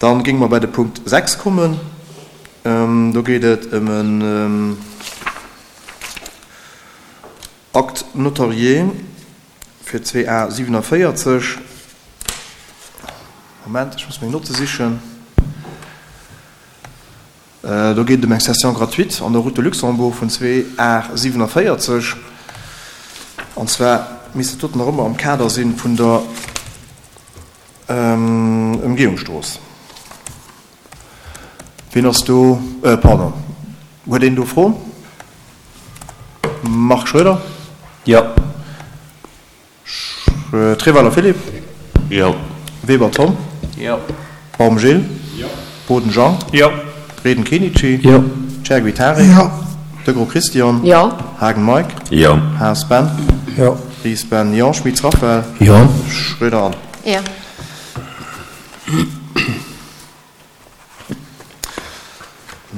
Dann géinge mer bei de Punkt 6 kommen. Do geet et ëm en Acte notarié fir 2A 47. Moment, ech muss meng Notte sichen. Do geet et ëm eng Cession gratuite an der Route de Luxembourg vun 2 A 47. An zwar misst dat doten nach ëmmer am Kader si vun der Ëmgehungsstrooss. Wien ass do? Pardon, huet een do Froen? Marc Schroeder? Jo. Treweiler Philippe? Jo. Weber Tom? Jo. Baum Gilles? Jo. Boden Jean? Jo. Reden Kenichi? Jo. Chergui Tarik? Jo. Degros Christian? Jo. Haagen Mike? Jo. Haas Ben? Jo. Ries Ben? Jo. Schmitz Raphaël? Jo. Schröder Anne? Jo.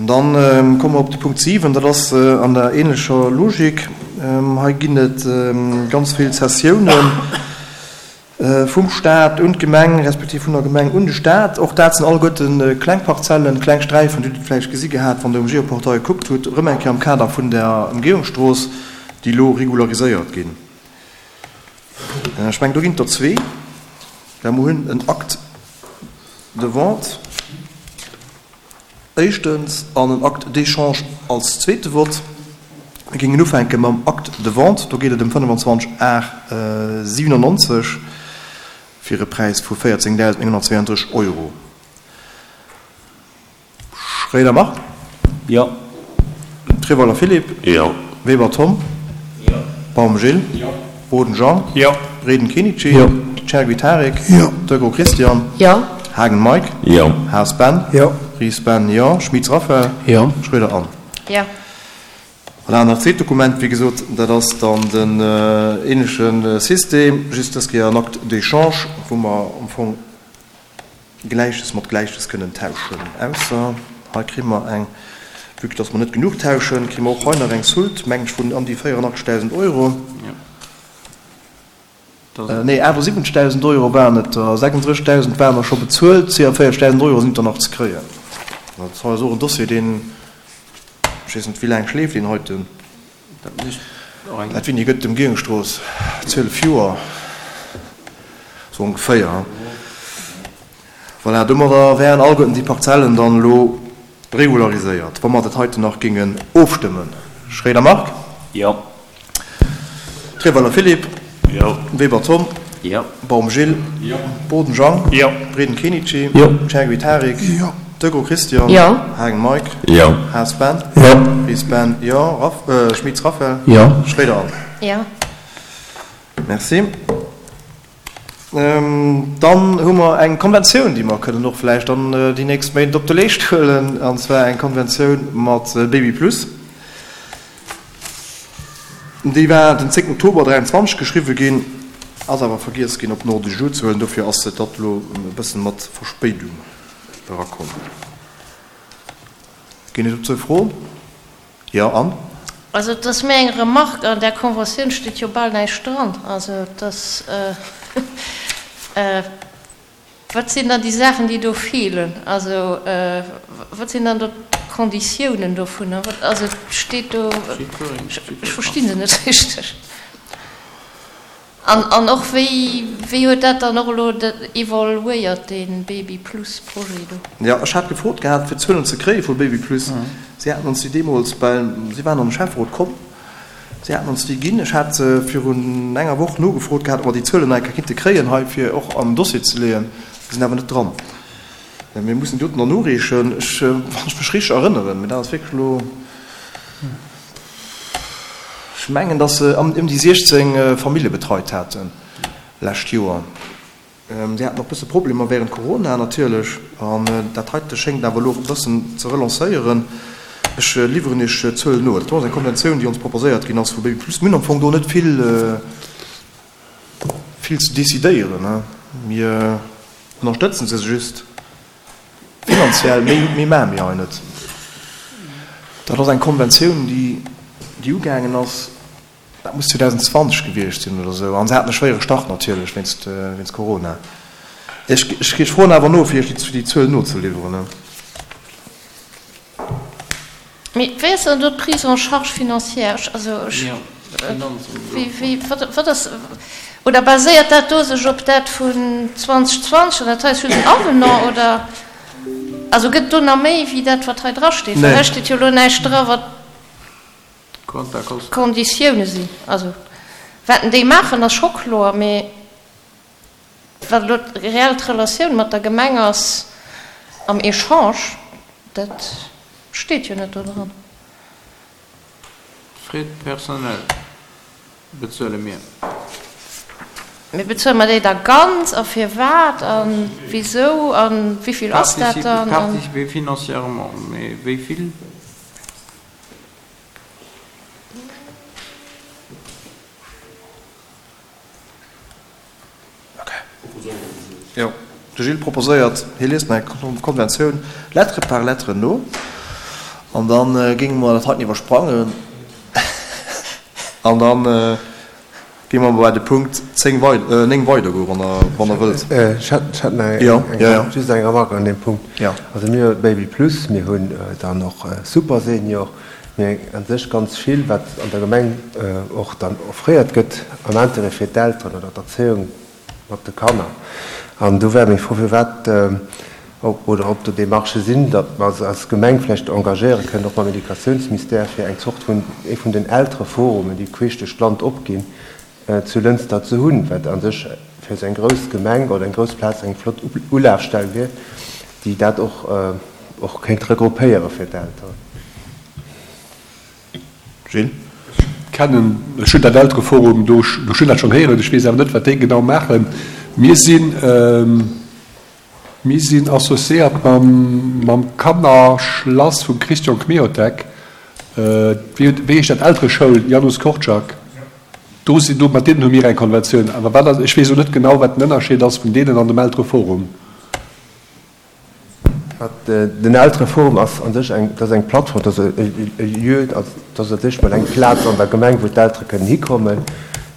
Dann komme mer op de Punkt 7, dat ass an der ähnlecher Logik. Hei ginn et ganz vill Cessiounen vum Stat un d'Gemeng, respektiv vun der Gemeng un de Stat. Och dat sinn alleguerte kleng Parzellen, kleng Sträifen, déi Dir vläicht gesi gehat, wann Der um Geoportail gekuckt hutt, erëm eng Kéier am Kader vun der Ëmgehungsstrooss, déi elo regulariséiert ginn. Ech mengen, do ginn et der zwee. Well mer hunn en Acte de vente éischtens an en Acte d'échange als zweete Vott. Mir géingen ufänke mam Acte de vente. Do geet et ëm 25 Ar 97 fir e Präis vu 14.932 Euro. Schréider Marc? Jo. Treweiler Philippe? Jo. Weber Tom? Jo. Baum Gilles? Jo. Boden Jean? Jo. Reden Kenichi? Jo. Chergui Tarik? Jo. Degros Christian? Jo. Haagen Mike? Jo. Haas Ben? Jo. Ries Ben? Jo. Schmitz Raphaël? Jo. Schroeder Anne? Jo. Voilà, an dat zweet Dokument, wéi gesot, dat ass dann den ähnleche System, just dës Kéier en Acte d'échange, wou mer am Fong Gläiches mat Gläiches kënnen tauschen, ausser hei kréie mer eng, vue que dass mer net genuch tauschen, kréie mer och hei nach eng Soult, mengen ech, vun ëm déi 84.000 Euro. Nee, 78.000 Euro waren et der, 36.000 waren der scho bezuelt, 42.000 Euro sinn der nach ze kréien. Dat hei ass och en Dossier, deen, ech weess net, wéi laang schleeft deen heiten? Dat Winni gëtt d'Ëmgehungsstrooss 12 Joer, sou ongeféier. Voilà, domadder wären alleguerten déi Parzellen dann elo regulariséiert, wa mer dat heiten nach géingen ofstëmmen. Schréider Marc? Jo. Treweiler Philippe? Jo. Weber Tom? Jo. Baum Gilles? Jo. Boden Jean? Jo. Reden Kenichi? Jo. Chergui Tarik? Jo. Degros Christian? Jo. Haagen Mike? Jo. Haas Ben? Jo. Ries Ben? Jo. Raff, Schmitz Raphaël? Jo. Schroeder Anne? Jo. Merci. Dann hu mer eng Konventioun, déi mer kënnen och vläicht dann déi nächst Méint op de Leescht huelen, an zwar eng Konventioun mat Baby Plus. Déi war den 10 Oktober 23 geschriwwe ginn, ass awer vergiess ginn op den Ordre du jour ze huelen. Dofir ass dat elo e bëssen mat Verspéidung erakomm. Ginn et dozou Froen? Jo, Anne? Also et ass méi eng Remarque, an där Conventioun steet jo bal näischt dran. Also et ass, Wat sinn dann déi Saachen, déi do feelen? Also, wat sinn dann do d'Konditiounen dovunner? Wat, also et steet do, ech versti se net richteg. An, an och wéi, wéi huet dat dann och elo evoluéiert, dee Baby Plus Projet do? Jo, ech hat gefrot gehat, fir Zuelen ze kréie vu Baby Plus. Si haten ons déi deemools, well si waren an de Schäfferot komm, Si haten ons déi ginn. Ech hat virun enger Woch nogefrot gehat, ob mer déi Zuelen nach eng Kéier kinnte kréien hei, fir och an den Dossier ze leeën. Déi sinn awer net dran. Mir mussen déi doten nach noreechen. Ech, wann ech mech richteg erënneren, mee dat ass wierklech elo, ech mengen, datt se ëm déi 16 Famillje betreit haten lescht Joer. Si haten och bësse Problemer wärend Corona natierlech. An dat heite schéngt awer elo e bëssen ze relancéieren. Ech liwweren Iech d'Zuelen no. Dat do ass eng Konventioun, déi ons proposéiert ginn ass vu Baby Plus. Mir hunn am Fong do net vill, vill ze decidéieren. Mir ënnerstëtzen se just finanziell. Méi, méi maache mir hei net. Dat ass eng Konventioun, déi, déi ugaangen ass. Dat muss 2020 gewiescht sinn oder esou. An se haten e schwéiere Start natierlech wéinst, wéinst Corona. Ech, ech froen awer no, fir Iech déi Zuel nozeliwweren. Mee wéi ass dann do d'Prise en charge financière? Ech, also ech, wéi, wéi, wat, wat ass, oder baséiert dat do sech op dat vun 2020 an dat hei ass just en Avenant, oder? Also gëtt et do nach méi wéi dat, wat hei drasteet? Well hei steet jo elo näischt dra, wat d'Konditioune sinn. Also wat déi maachen, ass scho kloer, mee wat elo reell d'Relatioun mat der Gemeng ass am Echange, dat steet jo net do dran. Frais de personnel bezuele mir. Mee bezuele mer déi da ganz a firwat a wisou a wéivill ass dat dann? Participer financièrement, mee wéi vill? Jo, de Gilles proposéiert, hie liest nach eng Konventioun lettre par lettre no an da géinge mer dat heiten iwwersprangen an da géinge mer bei de Punkt 10 weider, 9 weidergoen, wann Der, wann Der wëllt. Ech hätt, ech hätt nach eng, just eng Remarque an deem Punkt. Also mir hu Baby Plus, mir hunn dann och Super Senior, Mee a sech ganz vill, wat an der Gemeng och dann offréiert gëtt am Intérêt fir d'Elteren oder d'Erzéiung mat de Kanner. An do wär meng Fro, firwat oder ob do Démarchë sinn, datt mer se als Gemeng vläicht engagéiere kënnen, och mam Educatiounsmistère, fir eng Zort vun ee vun den Eltereforumen, déi queesch duerch d'Land opginn, zu Lënster ze hunn, wat a sech fir esou eng grouss Gemeng oder eng grouss Plaz eng flott Ulafstell wier, déi dat och och kéint regroupéiere fir d'Elteren. Gilles? Ech kennen, ech hunn dat Eltereforum do, ech hunn dat schonn héieren, ech weess awer net, wat déi genau maachen. Mir sinn, Mir sinn associéiert mam Kannerschlass vum Christian Kmiotek, wéi heescht dat, Eltereschoul Janusz Korczak. Do sinn, do mat deenen hu mir eng Konventioun. Awer wat ass, ech weess elo net genau, wat den Ënnerscheed ass vun deenen an dem Eltereforum. Den Eltereforum ass an sech eng, dat ass eng Plattform, dat ass e Lieu, dat ass an sech mol eng Plaz an der Gemeng, wou d'Eltere kënnen hikommen,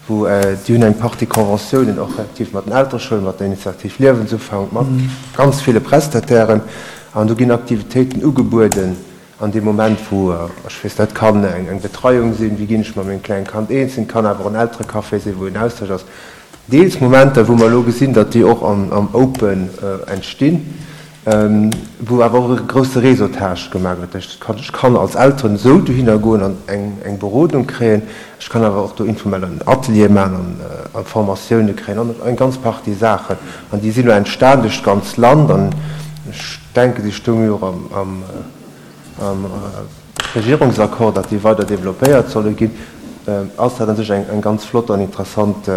wou déi hunn eng Partie Conventiounen och effektiv mat den Eltereschoulen, mat der Initiativ Liewensufank, mat ganz ville Prestatairen an do ginn Aktivitéiten ugebueden an deem Moment, wou, ech weess net, kann eng Betreiung sinn, wéi ginn ech mat mengem klengen Kand eens, et kann awer och en Elterecafé sinn, wou en Austausch ass. Deels Momenter, wou mer elo gesinn, datt déi och am Open entstinn, wou awer och e grousse Réseautage gemaach gëtt. Dat heescht, ech kann als Elteren esou dohinner goen an eng Berodung kréien, ech kann awer och do informell en Atelier maachen an Formatioune kréien an eng ganz Partie Saachen. An déi sinn elo entstan duerch d'ganz Land an ech denken, déi stounge jo och am Regierungsaccord, datt déi weider développéiert solle ginn, ass dat a sech eng ganz flott an interessant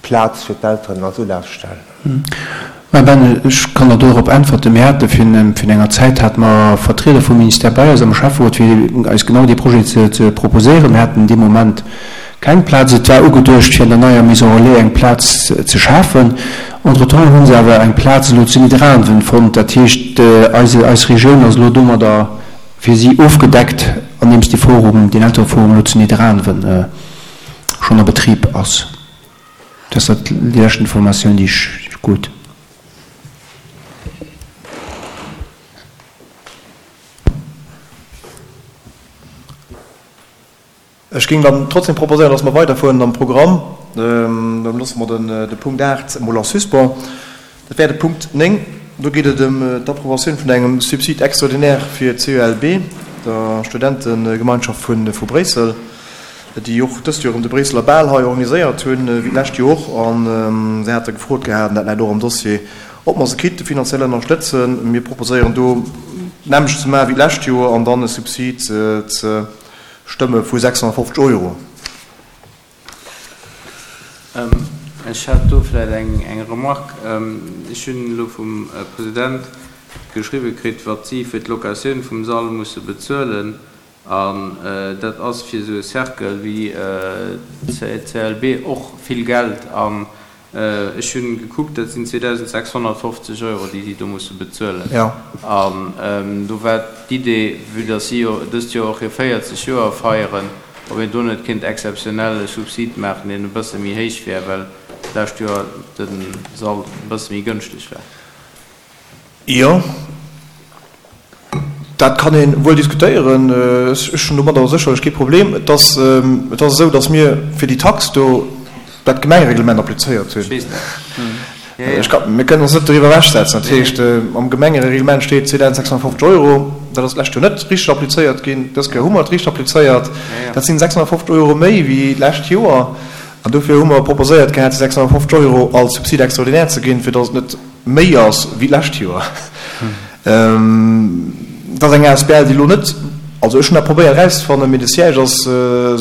Plaz fir d'Elteren als Ulafstell. Mä Ben, ech kann der dorop äntwerten. Mir hate virun enger Zäit hate mer Vertrieder vum Ministère bei eis am Schäfferot, fir eis genau dee Projet ze proposéieren. Mir haten dee Moment keng Plaz. Et war ugeduecht, fir an der neier Maison Relais eng Plaz ze schafen. Entretemps hu se awer eng Plaz elo zu Nidderaanwen fonnt. Dat heescht, eise, eis Regioun ass elo domadder fir si ofgedeckt, andeems dee Forum, deen Eltereforum elo zu Nidderaanwen schonn a Betrib ass. Dat ass dat déi lescht Informatioun, déi ech krut. Ech géing dann trotzdem proposéieren, dass mer weiderfueren am Programm. Da loosse mer de Punkt 8 emol en suspens. Dat wär de Punkt 9. Do geet et ëm d'Approbatioun vun engem Subside extraordinaire fir d'CELB, der Studentegemeinschaft vu Bréissel, déi och dëst Joer erëm de Bréisseler Bal hei organiséiert hunn, wéi d'lescht Joer och. A se hate gefrot gehat, an dat läit och am Dossier, ob mer se kinnte finanziell ënnerstëtzen. Mir proposéieren do d'nämmlecht ze maache wéi d'lescht Joer an dann e Subsid ze stëmme vu 650 Euro. Ech hätt do vläicht eng Remarque. Ech hunn elo vum President geschriwwe kritt, wat si fir d'Locatioun vum Sall musse bezuelen. An dat ass fir esou e Cercle wéi d'CLB och vill Geld. An Ech hunn gekuckt, dat sinn 2.650 Euro, déi si do musse bezuelen. An do war d'Idee, vue dass si jo dëst Joer och hir 40 Joer feieren, ob een do net kéint exzeptionell e Subsid maachen, deen e bësse méi héich wär, well. d'lescht Joer de Sall e bësse méi gënschteg war. Jo, dat kann ee wuel diskutéieren. Ech hunn domadder sécherlech kee Problem. Et ass, et ass esou, datt mir fir déi Tax do dat Gemengereglement applizéiert hunn. Ech weess dat. Jo, jo. Ech ka, mir kënnen ons net doriwwer ewechsetzen. Dat heescht, am Gemengereglement steet 2.650 Euro. Dat ass d'lescht Joer net richteg applizéiert ginn. Dës Kéier hu mer et richteg applizéiert. Dat sinn 650 Euro méi wéi d'lescht Joer. An dofir hu mer proposéiert gehat, déi 650 Euro als Subside extraordinaire ze ginn, fir datt et net méi ass wéi d'lescht Joer. Et ass eng asbl, déi elo net, also ech hunn dat probéiert erauszefannen, mee de Siège ass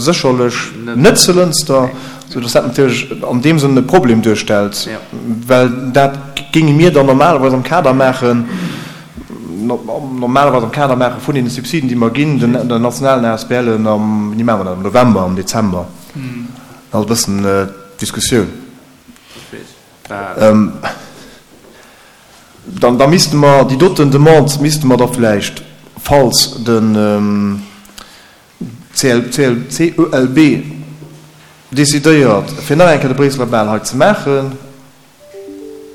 sécherlech net zu Lënster, soudass dat natierlech an deem Sënn e Problem duerstellt, well dat géinge mir dann normalerweis am Kader maachen, normalerweis am Kader maache vun deene Subsiden, déi mer ginn den nationalen ASBLen am, wéini maache mer dat, am November, am Dezember. Dat ass e bëssen d'Diskussioun. Dann da misste mer déi doten Demande misste mer da vläicht, falls den CLB decidéiert, fir nach eng Kéier de Bréisseler Bal hei ze maachen,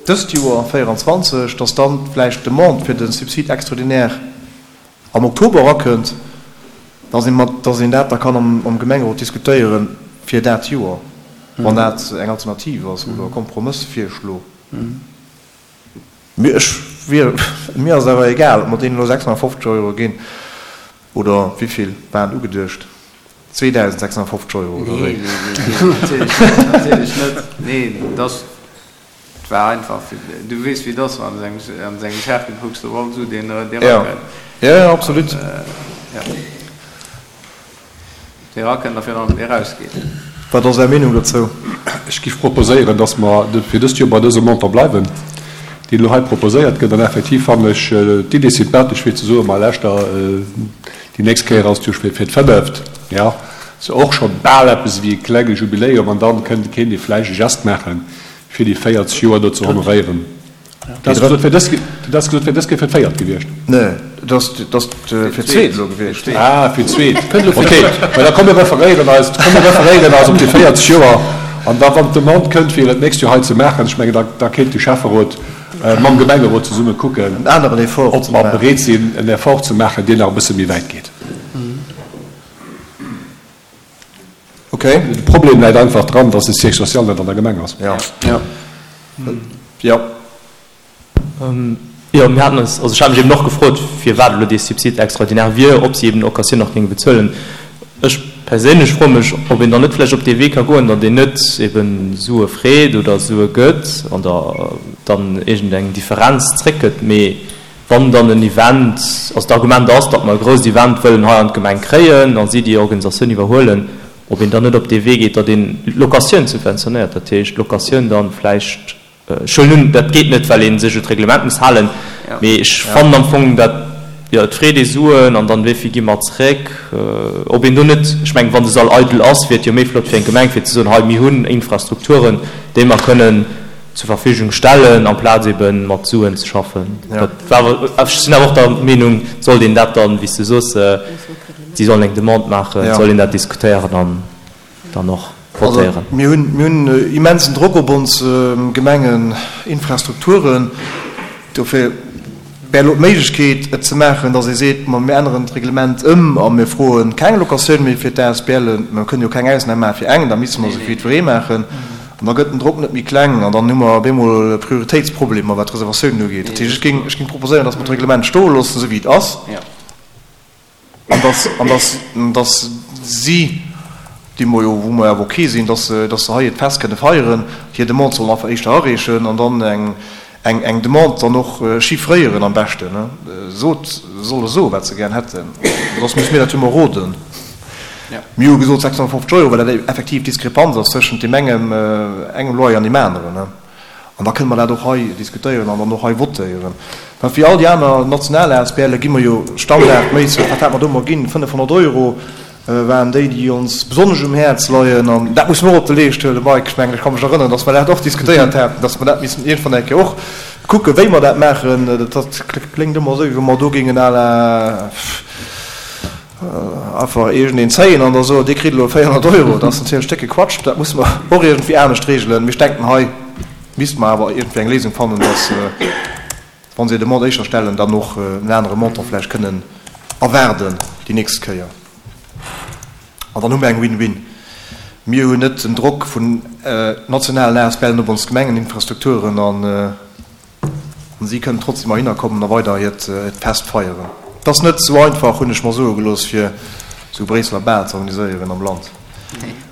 dëst Joer 24, dass dann vläicht d'Demande fir de Subside extraordinaire am Oktober erakënnt, dass ee mat, dass een dat da kann am Gemengerot diskutéiere fir dat Joer, wann dat eng Alternativ ass oder e Kompromëssvirschlo. Mee ech wier, mir ass et awer egal, ob mer deenen elo 650 Euro ginn oder wéivill waren ugeduecht, 2.650 Euro oder wéi? Nee, nee, nee, natierlech net, natierlech net. Nee, dass, et war einfach fir, du weess wéi et ass, wann an engem Cercle kucks du op all Su deen erakënnt. Jo, jo, absolut. Jo. Dee erakënnt a virun allem dee erausgeet. Wat ass Är Meenung dozou? Ech géif proposéieren, dass mer fir dëst Joer bei dësem Montant bleiwen, deen elo hei proposéiert gëtt. An effektiv fannen ech d'Idee sympathesch, fir ze soen, Ma leschter, déi nächst Kéier ass et jo fir d'fënneft, jo, ass jo och scho bal eppes ewéi e klenge Jubiläum. An dann kënnt, kéint ee vläicht e Gest maachen, fir déi 40 Joer do ze honoréieren. Dat ass gesot fir dës, dat ass gesot fir dës Kéier fir d'véiert gewiescht. Nee, dat ass, dat ass fir d'zweet elo gewiescht. Ah, fir d'zweet. Okay, mä da komm mir referéieren eis, komm mir referéieren eis op déi 40 Joer an da wann d'Demande kënnt fir et d'nächst Joer hei ze maachen, ech mengen da, da kéint de Schäfferot mam Gemengerot zesumme kucken, En aneren Effort ob ze mer maachen. bereet sinn en Effort ze maachen, deen nach e bësse méi wäit geet. Okay. De Problem läit einfach dran, dass de Siège social net an der Gemeng ass. Ja. Ja. Jo, mir haten eis, also ech hat mech eben och gefrot, firwat elo dee Subside extraordinaire wier, ob si eben d'Locatioun nach géinge bezuelen. Ech perséinlech froe mech, ob een dann net vläicht op dee Wee ka goen, datt een net eben Sue freet oder Sue gëtt an der dann iergendeng Differenz zréckgëtt, mee Wann dann en Event, also d'Argument ass, datt mer e grousst Event wëllen hei an d'Gemeng kréien a si déi Organisatioun iwwerhuelen, ob een dann net op dee Wee geet, datt een d'Locatioun subventionéiert, dat heescht d'Locatioun dann vläicht, ech huelen un, dat geet net, well ee sech un d'Reglement muss halen, mee ech fannen am Fong dat, jo, et freet ee Suen an dann wéi vill gi mer zréck, ob een do net, ech mengen, wann de Sall eidel ass, wier et jo méi flott fir eng Gemeng fir ze soen, hei mir hunn Infrastrukturen, déi mer kënnen zur Verfügung stellen, amplaz ebe mat Suen ze schaffen. Dat war awer, ech sinn awer och der Meenung, sollt een dat dann, wéi s de soos, si sollen eng Demande maachen, soll een dat diskutéieren an dann och votéieren. Also mir hunn, mir hunn immensen Drock op ons Gemengeninfrastrukturen. Dofir wär elo d'Méiglechkeet, et ze maachen, datt ee seet, ma mir änneren d'Reglement ëm a mir froe keng Locatioun méi fir d'ASBLen. Mer kënnen jo keng Ausnam maache fir eng, da misste mer se fir jiddweree maachen. An da gëtt den Drock net méi kleng an dann hu mer op eemol Prioritéitsproblemer, wat d'Reservatiounen ugeet. Dat heescht, ech géing, ech géing proposéieren, datt mer d'Reglement stoe loossen, esou wéi et ass. An dass, an dass, dass si, déi mer jo, wou mer awer ok sinn, dass se, dass se hei hiert Fest kënne feieren, hir Demande sollen einfach éischter areechen an dann eng, eng, eng Demande dann och chiffréieren am beschten, ne. Sot, se solle soen, wat se gären hätten, soss musse mir dat jo emol roden. Mir hu gesot 650 Euro, well dat effektiv d'Diskrepanz ass tëschent deem engem, engem Loyer an deem aneren, ne. An da kënne mer dat och hei diskutéieren an dann och hei votéieren. Well fir all déi aner national ASBLe gi mer jo standardméisseg, wat hat mer do emol ginn, 500 Euro waren déi, déi ons besonnesch um Häerz leien. An dat musse mer och op de Leescht huelen, Mike. Ech mengen, ech ka mech erënneren, dass mer dat och diskutéiert haten, dass mer dat missten iergendwann eng Kéier och kucken, wéi mer dat maachen. Dat kléngt ëmmer esou, wéi wa mer do géingen à la. Einfach iergendeen zéien an da soen, Dir kritt elo 400 Euro, dat ass natierlech décke Quatsch. Dat musse mer och iergendwéi anescht regelen. Mee ech denken, hei misste mer awer iergendwéi eng Léisung fannen, dass, wa se Demande éischter stellen, dann och en anere Montant vläicht kënnen erwaarden déi nächst Kéier. An dann hu mer eng Win-win. Mir hunn net den Drock vun nationalen ASBLen op ons Gemengeninfrastrukturen an si kënnen trotzdem heihinner kommen a weider hiert Fest feieren. Et ass net esou einfach, hunn ech mer soe gelooss, fir esou e Bréisseler Bal ze organiséieren am Land.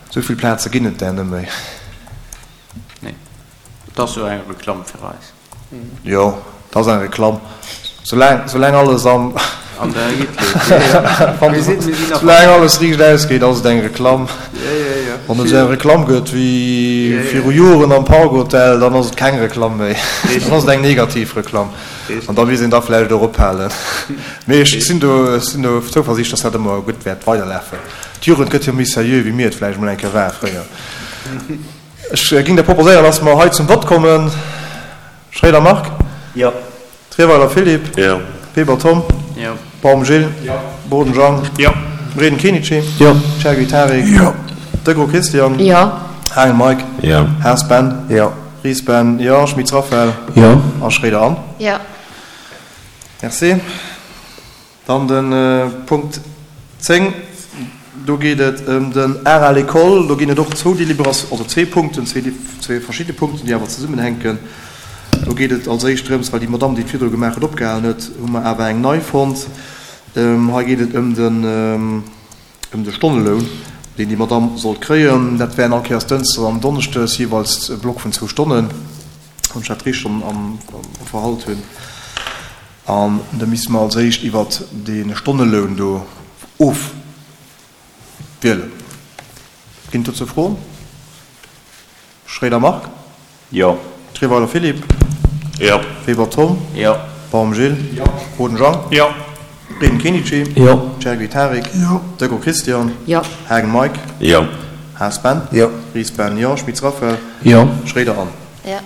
Esou vill Plaze ginn et där net méi. Nee. Et ass jo eng Reklamm fir eis. Jo, et ass eng Reklamm. Soulaang, soulaang alles am. An der Riit geet. Jo, jo. Mir sinn, mir sinn nach. Soulaang alles riicht ausgeet, ass et eng Reklamm. Jo, jo, jo. Wann et esou eng Reklamm gëtt wéi viru Joren am Park Hotel, dann ass et keng Reklamm méi. Dann ass et eng negativ Reklamm. An da misst een da vläicht och ophalen. Mee ech sinn do, ech sinn do zouversiicht, dass dat ëmmer gutt wäert weiderlafen. D'Jugend gëtt jo méi seriö, wéi mir et vläicht emol eng Kéier ware fréier. Ech ging da proposéieren, dass mer hei zum Vott kommen. Schroeder Marc. Jo. Trierweiler Philippe. Jo. Weber Tom. Jo. Baum Gilles. Jo. Boden Jean. Jo. Reden Kenichi. Jo. Chergui Tarik. Jo. Degraux Christian. Jo. Haagen Mike. Jo. Haas Ben. Jo. Ries Ben. Jo. Schmitz Raphaël. Jo. A Schroeder Anne. Jo. Merci. Dann de Punkt 10, do geet et ëm den Art à l'école. Do ginn et och zwou Délibérations, also zwee Punkten, zwee verschidde Punkten, déi awer zesummenhänken. Do geet et als éischt drëms, well déi Madamm, déi et virdru gemaach huet, opgehalen huet, hu mer awer eng nei fonnt. Hei geet et ëm den, ëm de Stonneloun, deen déi Madamm sollt kréien. Dat wären all Kéiers dënschdes an donneschdes jeeweils e Block vun zwou Stonnen, wann ech dat richteg am Verhalt hunn. An da misste mer als éischt iwwert dee Stonneloun do ofwielen. Ginn et dozou Froen? Schroeder Marc? Jo. Trierweiler Philippe? Jo. Weber Tom? Jo. Baum Gilles? Jo. Boden Jean? Jo. Reden Kenichi? Jo. Chergui Tarik? Jo. Degraux Christian? Jo. Haagen Mike? Jo. Haas Ben? Jo. Ries Ben? Jo. Schmitz Raphaël? Jo. Schroeder Anne? Jo.